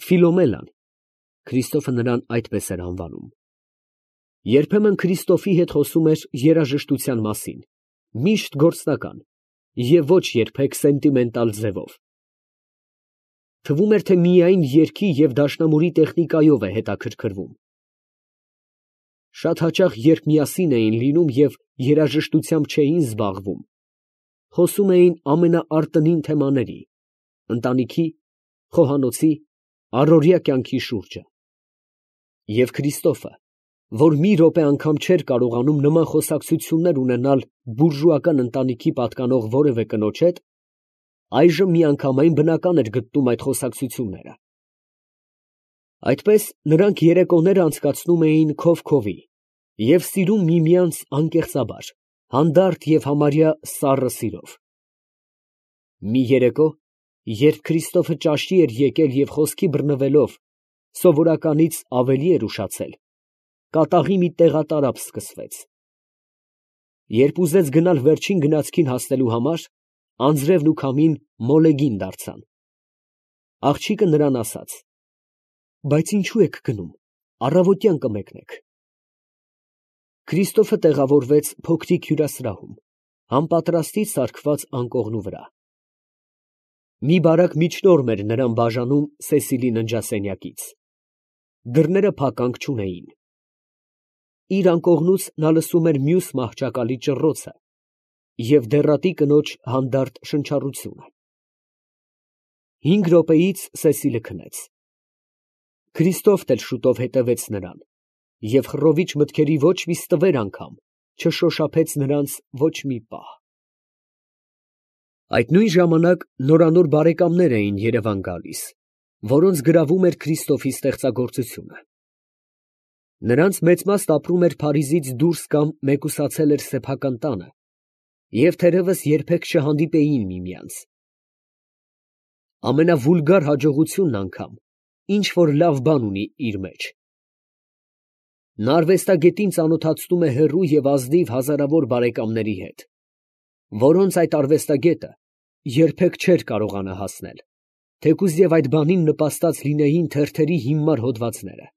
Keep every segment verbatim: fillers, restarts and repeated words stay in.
Ֆիլոմելան (Քրիստոֆը նրան այդպես էր անվանում) երբեմն Քրիստոֆի հետ խոսում էր երաժշտության մասին, միշտ գործնական և ոչ երբեք սենտիմենտալ ձևով. թվում էր, թե միայն երգի և դաշնամուրի տեխնիկայով է հետաքրքրվում։ Շատ հաճախ, երբ միասին էին լինում և երաժշտությամբ չէին զբաղվում, խոսում էին ամենաարտնին թեմաների, ընտանիքի, խոհանոցի, առօրյա կյանքի շուրջը։ Եվ Քրիստոֆը, որ մի րոպե անգամ չէր կարողանում նման խոսակցություններ ունենալ բուրժուական ընտանիքի պատկանող որևէ կնոջ հետ, այժմ միանգամայն բնական էր գտնում այդ խոսակցությունները։ Այդպես նրանք երեկոները անցկացնում էին քով քովի և սիրում միմյանց անկեղծաբար, հանդարտ և համարյա սառը սիրով։ Մի երեկո, երբ Քրիստոֆը ճաշի էր եկել և խոսքի բռնվելով սովորականից ավելի էր ուշացել, կատաղի մի տեղատարափ սկսվեց։ Երբ ուզեց գնալ վերջին գնացքին հասնելու համար, անձրևն ու քամին մոլեգին դարձան։ Աղջիկը նրան ասաց. «Բայց ինչո՞ւ եք գնում, առավոտյան կմեկնեք»։ Քրիստոֆը տեղավորվեց փոքրիկ հյուրասրահում, համապատրաստից սարքված անկողնու վրա։ Մի բարակ միջնորմ էր նրան բաժանում Սեսիլի ննջասենյակից։ Դռները փականք չունեին։ Իր անկողնուց նա լսում էր մյուս մահճակալի ճռռոցը և դեռատի կնոջ հանդարտ շնչառությունը։ Հինգ րոպեից Սեսիլը քնեց։ Քրիստոֆն էլ շուտով հետևեց նրան, և խռովիչ մտքերի ոչ մի ստվեր անգամ չշոշափեց նրանց ոչ մի պահ։ Այդ նույն ժամանակ նորանոր բարեկամներ էին երևան գալիս, որոնց գրավում էր Քրիստոֆի ստեղծագործությունը։ Նրանց մեծ մասն ապրում էր Փարիզից դուրս կամ մեկուսացել էր սեփական տանը և թերևս երբեք չհանդիպեին միմյանց։ Ամենավուլգար հաջողությունն անգամ ինչ֊որ լավ բան ունի իր մեջ։ Նա արվեստագետին ծանոթացնում է հեռու և ազնիվ հազարավոր բարեկամների հետ, որոնց այդ արվեստագետը երբեք չէր կարողանա հասնել, թեկուզ և այդ բանին նպաստած լինեին թերթերի հիմար հոդվածները։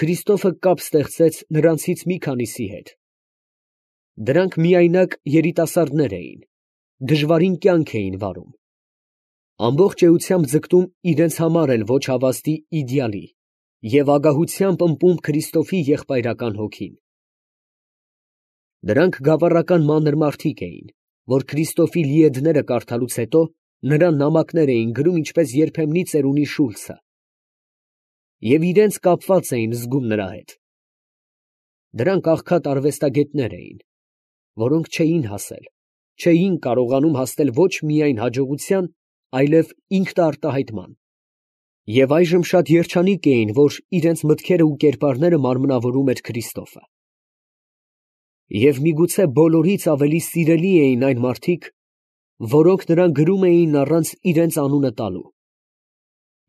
Քրիստոֆը կապ ստեղծեց նրանցից մի քանիսի հետ։ Դրանք միայնակ երիտասարդներ էին, դժվարին կյանք էին վարում, ամբողջ էությամբ ձգտում իրենց համար էլ ոչ հավաստի իդեալի և ագահությամբ ըմպում Քրիստոֆի եղբայրական հոգին։ Դրանք գավառական մանր մարդիկ էին, որ Քրիստոֆի լիեդները կարդալուց հետո նրան նամակներ էին գրում ինչպես երբեմնի ծերունի Շուլցը և իրենց կապված էին զգում նրա հետ։ Դրանք աղքատ արվեստագետներ էին, որոնք չէին հասել, չէին կարողանում հասնել ոչ միայն հաջողության, այլև ինքնարտահայտման, և այժմ շատ երջանիկ էին, որ իրենց մտքերը ու կերպարները մարմնավորում էր Քրիստոֆը։ Եվ միգուցե բոլորից ավելի սիրելի էին այն մարդիկ, որոնք նրան գրում էին առանց իրենց անունը տալու,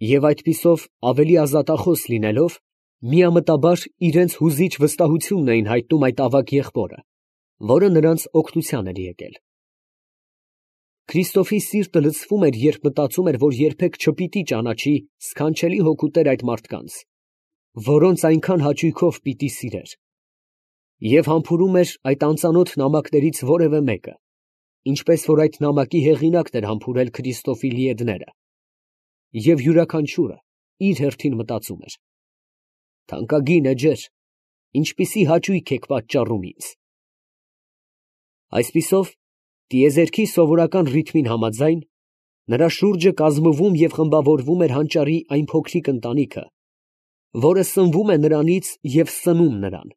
և այդպիսով ավելի ազատախոս լինելով, միամտաբար իրենց հուզիչ վստահությունն էին հայտնում այդ ավագ եղբորը, որը նրանց օգնության էր եկել։ Քրիստոֆի սիրտը լցվում էր, երբ մտածում էր, որ երբեք չպիտի ճանաչի սքանչելի հոգուտեր այդ մարդկանց, որոնց այնքան հաճույքով պիտի սիրեր, և համբուրում էր այդ անծանոթ նամակներից որևէ մեկը, ինչպես որ այդ նամակի հեղինակն էր համբուրել Քրիստոֆի լիեդները, և յուրաքանչյուրը իր հերթին մտածում էր. «Թանկագին էջեր, ինչպիսի հաճույք եք պատճառում ինձ»։ Այսպիսով, տիեզերքի սովորական ռիթմին համաձայն, նրա շուրջը կազմվում և խմբավորվում էր հանճարի այն փոքրիկ ընտանիքը, որը սնվում է նրանից և սնում նրան,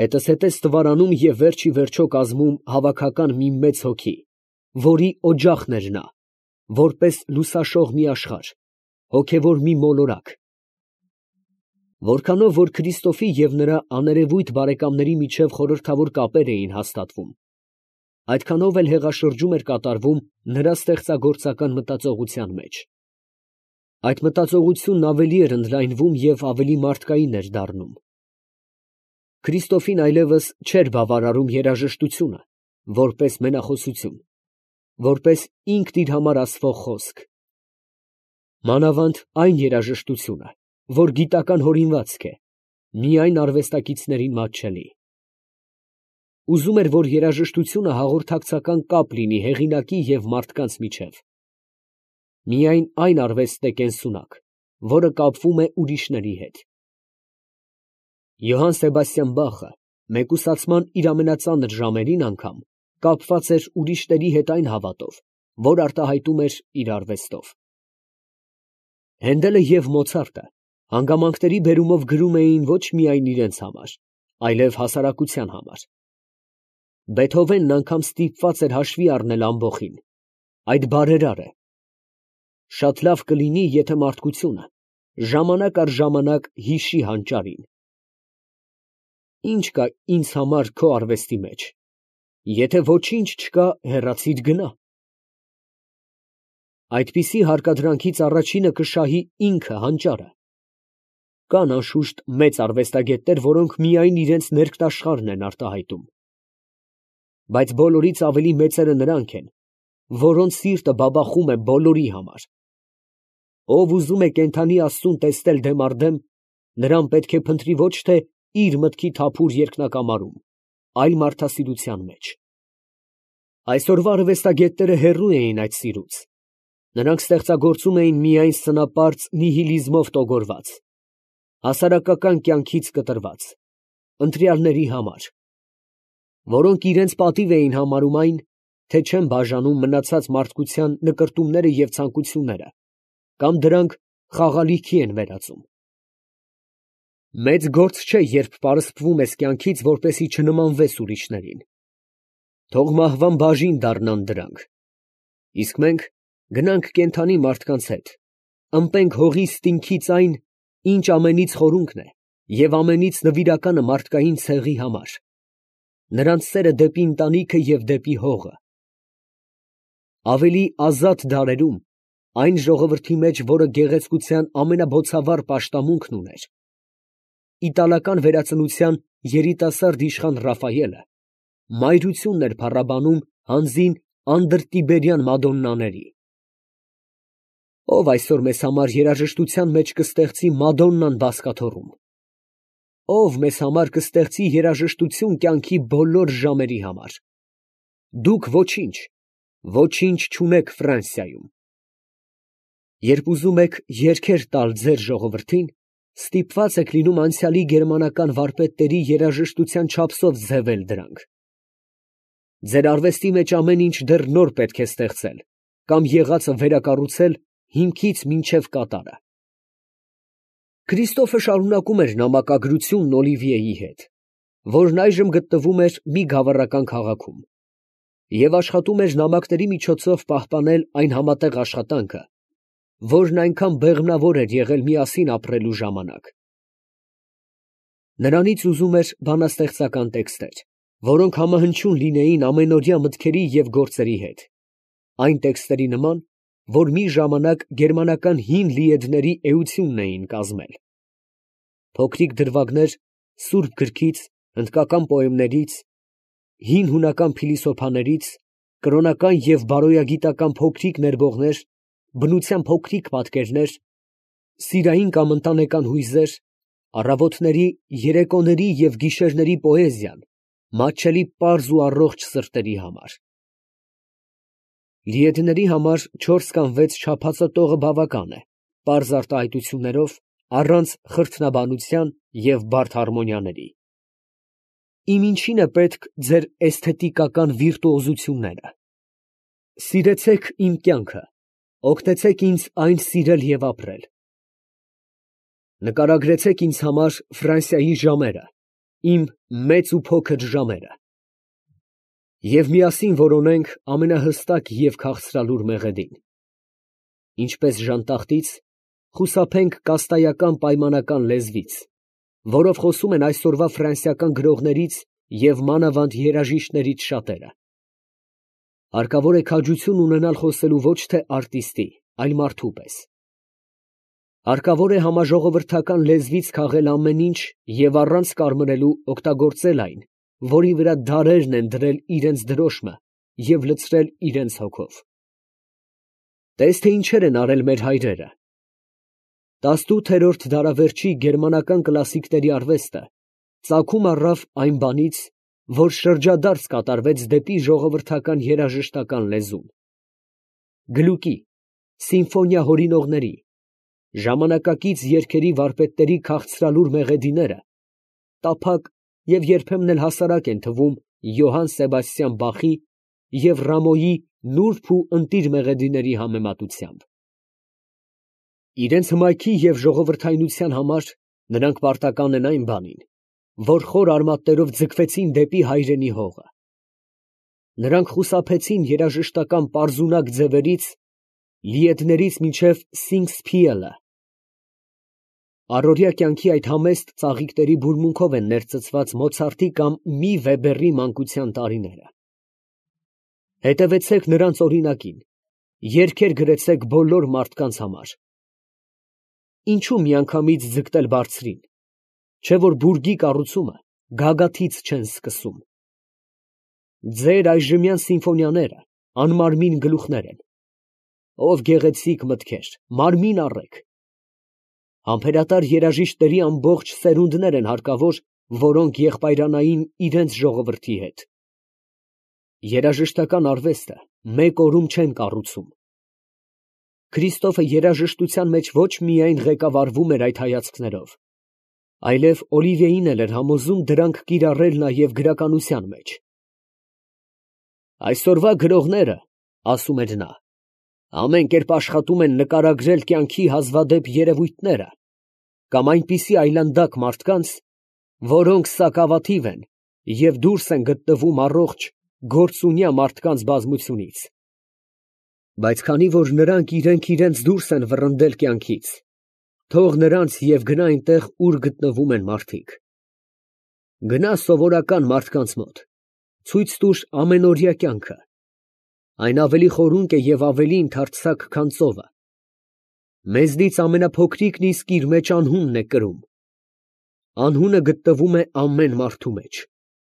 հետզհետե ստվարանում և վերջ ի վերջո կազմում հավաքական մի մեծ հոգի, որի օջախն էր նա, որպես լուսաշող մի աշխարհ, հոգևոր մի մոլորակ։ Որքանով որ Քրիստոֆի և նրա աներևույթ բարեկամների միջև խորհրդավոր կապեր էին հաստատվում, այդքանով էլ հեղաշրջում էր կատարվում նրա ստեղծագործական մտածողության մեջ։ Այդ մտածողությունն ավելի էր ընդլայնվում և ավելի մարդկային էր դառնում։ Քրիստոֆին այլևս չէր բավարարում երաժշտությունը, որպես մենախոսություն, որպես ինքն իր համար ասվող խոսք։ Մանավանդ այն երաժշտությունը, որ գիտական հորինվածք է, միայն արվեստագետներին մատչելի։ Ուզում էր, որ երաժշտությունը հաղորդակցական կապ լինի հեղինակի և մարդկանց միջև։ Միայն այն արվեստն է կենսունակ, որը կապվում է ուրիշների հետ։ Յոհան Սեբաստիան Բախը մեկուսացման իր ամենածանր ժամերին անգամ կապված էր ուրիշների հետ այն հավատով, որ արտահայտում էր իր արվեստով։ Հենդելը և Մոցարտը հանգամանքների բերումով գրում էին ոչ միայն իրենց համար, այլև հասարակության համար։ Բեթհովենն անգամ ստիպված էր հաշվի առնել ամբոխին. այդ բարերար է։ Շատ լավ կլինի, եթե մարդկությունը ժամանակ առ ժամանակ հիշի հանճարին. ի՞նչ կա ինձ համար քո արվեստի մեջ, եթե ոչինչ չկա, հեռացիր գնա։ Այդպիսի հարկադրանքից առաջինը կշահի ինքը հանճարը։ Կան անշուշտ մեծ արվեստագետներ, որոնք միայն իրենց ներքնաշխարհն են արտահայտում։ Բայց բոլորից ավելի մեծերը նրանք են, որոնց սիրտը բաբախում է բոլորի համար։ Ով ուզում է կենդանի Աստծուն տեսնել դեմ առ դեմ, նրան պետք է փնտրի ոչ թե իր մտքի թափուր երկնակամարում, այլ մարդասիրության մեջ։ Այսօրվա արվեստագետները հեռու էին այդ սիրուց։ Նրանք ստեղծագործում էին միայն սնապարծ նիհիլիզմով տոգորված, հասարակական կյանքից կտրված, ընտրյալների համար, որոնք իրենց պատիվ էին համարում այն, թե չեն բաժանում մնացած մարդկության նկրտումները և ցանկությունները, կամ դրանք խաղալիքի են վերածում։ Մեծ գործ չէ, երբ պարսպվում ես կյանքից, որպեսզի չնմանվես ուրիշներին։ Թող մահվան բաժին դառնան դրանք։ Իսկ մենք գնանք կենդանի մարդկանց հետ, ըմպենք հողի ստինքից այն, ինչ ամենից խորունկն է և ամենից նվիրականը մարդկային ցեղի համար, նրանց սերը դեպի ընտանիքը և դեպի հողը։ Ավելի ազատ դարերում, այն ժողովրդի մեջ, որը գեղեցկության ամենաբոցավառ պաշտամունքն ուներ, իտալական վերածնության երիտասարդ իշխան Ռաֆայելը մայրությունն էր փառաբանում հանձին անդրտիբերյան մադոննաների։ Ով այսօր մեզ համար երաժշտության մեջ կստեղծի Մադոննան բազկաթոռում։ Ով մեզ համար կստեղծի երաժշտություն կյանքի բոլոր ժամերի համար։ Դուք ոչինչ, ոչինչ չունեք Ֆրանսիայում։ Երբ ուզում եք երգեր տալ ձեր ժողովրդին, ստիպված եք լինում անցյալի գերմանական վարպետների երաժշտության չափսով ձևել դրանք։ Ձեր արվեստի մեջ ամեն ինչ դեռ նոր պետք է ստեղծել կամ եղածը վերակառուցել հիմքից մինչև կատարը։ Քրիստոֆը շարունակում էր նամակագրությունն Օլիվիեի հետ, որն այժմ գտնվում էր մի գավառական քաղաքում, և աշխատում էր նամակների միջոցով պահպանել այն համատեղ աշխատանքը, որն այնքան բեղմնավոր էր եղել միասին ապրելու ժամանակ։ Նրանից ուզում էր բանաստեղծական տեքստեր, որոնք համահնչյուն լինեին ամենօրյա մտքերի և գործերի հետ, այն տեքստերի նման, որ մի ժամանակ գերմանական հին լիեդների էությունն էին կազմել։ Փոքրիկ դրվագներ սուրբ գրքից, հնդկական պոեմներից, հին հունական փիլիսոփաներից, կրոնական և բարոյագիտական փոքրիկ ներբողներ, բնության փոքրիկ պատկերներ, սիրային կամ ընտանեկան հույզեր, առավոտների, երեկոների և գիշերների պոեզիան, մատչելի պարզ ու առողջ սրտերի համար։ Լիեդների համար չորս կամ վեց չափածո տողը բավական է, պարզ արտահայտություններով, առանց խրթնաբանության և բարդ հարմոնիաների։ Իմ ինչին է պետք ձեր էսթետիկական վիրտուոզությունները։ Սիրեցեք իմ կյանքը, օգնեցեք ինձ այն սիրել և ապրել։ Նկարագրեցեք ինձ համար Ֆրանսիայի ժամերը, իմ մեծ ու փոքր ժամերը, և միասին որոնենք ամենահստակ և քաղցրալուր մեղեդին։ Ինչպես ժանտախտից, խուսափենք կաստայական պայմանական լեզվից, որով խոսում են այսօրվա ֆրանսիական գրողներից և մանավանդ երաժիշտներից շատերը։ Հարկավոր է քաջություն ունենալ խոսելու ոչ թե արտիստի, այլ մարդու պես։ Հարկավոր է համաժողովրդական լեզվից քաղել ամեն ինչ և առանց կարմրելու օգտագործել այն, որի վրա դարերն են դրել իրենց դրոշմը և լցրել իրենց հոգով։ Տես թե ինչեր են արել մեր հայրերը, Տասնութերորդ դարավերջի գերմանական կլասիկների արվեստը ծագում առավ այն բանից, որ շրջադարձ կատարվեց դեպի ժողովրդական երաժշտական լեզուն։ Գլուկի, սիմֆոնիա հորինողների, ժամանակակից երգերի վարպետների քաղցրալուր մեղեդիները տափակ և երբեմն էլ հասարակ են թվում Յոհան Սեբաստիան Բախի և Ռամոյի նուրբ ու ընտիր մեղեդիների համեմատությամբ։ Իրենց հմայքի և ժողովրդայնության համար նրանք պարտական են այն բանին, որ խոր արմատներով ձգվեցին դեպի հայրենի հողը։ Նրանք խուսափեցին երաժշտական պարզունակ ձևերից, լիեդներից մինչև Սինգսփիելը։ Առօրյա կյանքի այդ համեստ ծաղիկների բուրմունքով են ներծծված Մոցարտի կամ մի Վեբերի մանկության տարիները։ Հետևեցեք նրանց օրինակին, երգեր գրեցեք բոլոր մարդկանց համար։ Ինչու միանգամից ձգտել բարձրին, չէ՞ որ բուրգի կառուցումը գագաթից չեն սկսում։ Ձեր այժմյան սիմֆոնիաները անմարմին գլուխներ են, ով գեղեցիկ մտքեր, մարմին առեք։ Համբերատար երաժիշտների ամբողջ սերունդներ են հարկավոր, որոնք եղբայրանային իրենց ժողովրդի հետ։ Երաժշտական արվեստը մեկ օրում չեն կառուցում։ Քրիստոֆը երաժշտության մեջ ոչ միայն ղեկավարվում էր այդ հայացքներով, այլև Օլիվիեին էլ էր համոզում դրանք կիրառել նաև գրականության մեջ։ Այսօրվա գրողները, ասում էր նա, ամեն կերպ աշխատում են նկարագրել կյանքի հազվադեպ երևույթները կամ այնպիսի այլանդակ մարդկանց, որոնք սակավաթիվ են և դուրս են գտնվում առողջ գործունյա մարդկանց բազմությունից։ Բայց քանի որ նրանք իրենք իրենց դուրս են վռնդել կյանքից, թող նրանց և գնա այնտեղ, ուր գտնվում են մարդիկ։ Գնա սովորական մարդկանց մոտ, ցույց տուր ամենօրյա կյանքը, այն ավելի խորունկ է և ավելի ընդարձակ, քան ծովը։ Մեզնից ամենափոքրիկն իսկ իր մեջ անհունն է կրում։ Անհունը գտնվում է ամեն մարդու մեջ,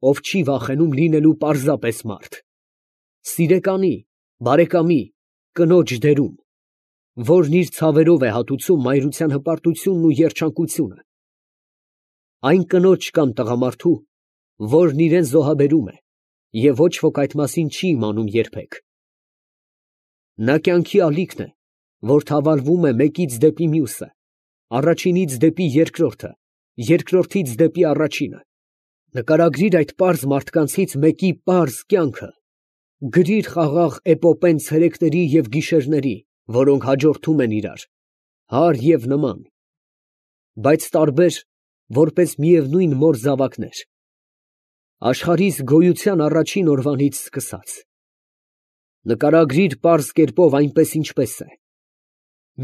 ով չի վախենում լինելու պարզապես մարդ, սիրեկանի, բարեկամի, կնոջ դերում, որն իր ցավերով է հատուցում մայրության հպարտությունն ու երջանկությունը, այն կնոջ կամ տղամարդու, որն իրան զոհաբերում է, և ոչ ոք այդ մասին չի իմանում երբեք։ Նա կյանքի ալիքն է, որ թավալվում է մեկից դեպի մյուսը, առաջինից դեպի երկրորդը, երկրորդից դեպի առաջինը։ Նկարագրիր այդ պարզ մարդկանցից մեկի պարզ կյանքը, գրիր խաղաղ էպոպեն ցերեկների և գիշերների, որոնք հաջորդում են իրար, հարր և նման, բայց տարբեր, որպես միևնույն մոր զավակներ, աշխարհիս գոյության առաջին օրվանից սկսած։ Նկարագրիր պարզ կերպով այնպես, ինչպես է։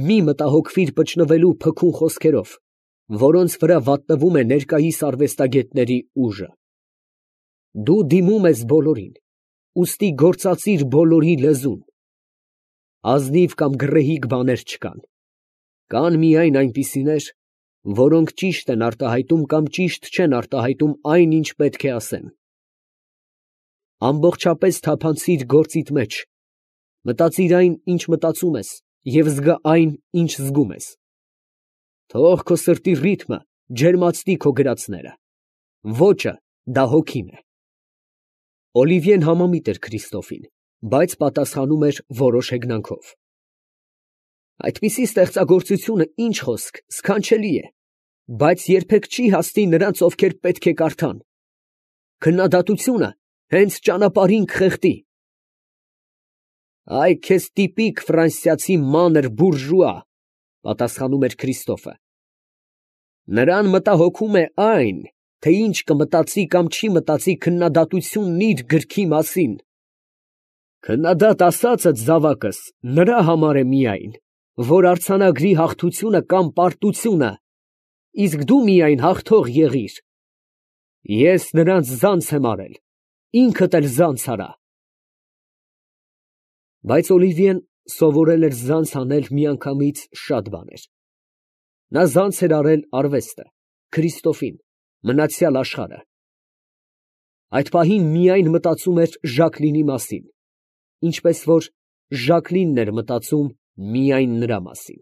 Մի մտահոգվիր պճնվելու փքուն խոսքերով, որոնց վրա վատնվում է ներկայիս արվեստագետների ուժը։ Դու դիմում ես բոլորին, ուստի գործածիր բոլորի լեզուն։ Ազնիվ կամ գռեհիկ բաներ չկան, կան միայն այնպիսիներ, որոնք ճիշտ են արտահայտում կամ ճիշտ չեն արտահայտում այն, ինչ պետք է ասեն։ Ամբողջապես թափանցիր գործիդ մեջ, մտածիր այն, ինչ մտածում ես, և զգա այն, ինչ զգում ես։ Թող քո սրտի ռիթմը ջերմացնի քո գրածները, ոճը դա հոգին է։ Օլիվիեն համամիտ էր Քրիստոֆին, բայց պատասխանում էր որոշ հեգնանքով։ Այդպիսի ստեղծագործությունը, ինչ խոսք, սքանչելի է, բայց երբեք չի հասնի նրանց, ովքեր պետք է կարդան։ Քննադատությունը հենց ճանապարհին կխեղդի։ Այ քեզ տիպիկ ֆրանսիացի մանր բուրժուա, պատասխանում էր Քրիստոֆը։ Նրան մտահոգում է այն, թե ինչ կմտածի կամ չի մտածի քննադատությունն իր գրքի մասին։ Քննադատ ասածդ, զավակս, նրա համար է միայն, որ արձանագրի հաղթությունը կամ պարտությունը, իսկ դու միայն հաղթող եղիր։ Ես նրանց զանց եմ արել, ինքդ էլ զանց արա։ Բայց Օլիվիեն սովորել էր զանց անել միանգամից շատ բաներ։ Նա զանց էր արել արվեստը, Քրիստոֆին, մնացյալ աշխարհը։ Այդ պահին միայն մտածում էր Ժակլինի մասին, ինչպես որ Ժակլինն էր մտածում միայն նրա մասին։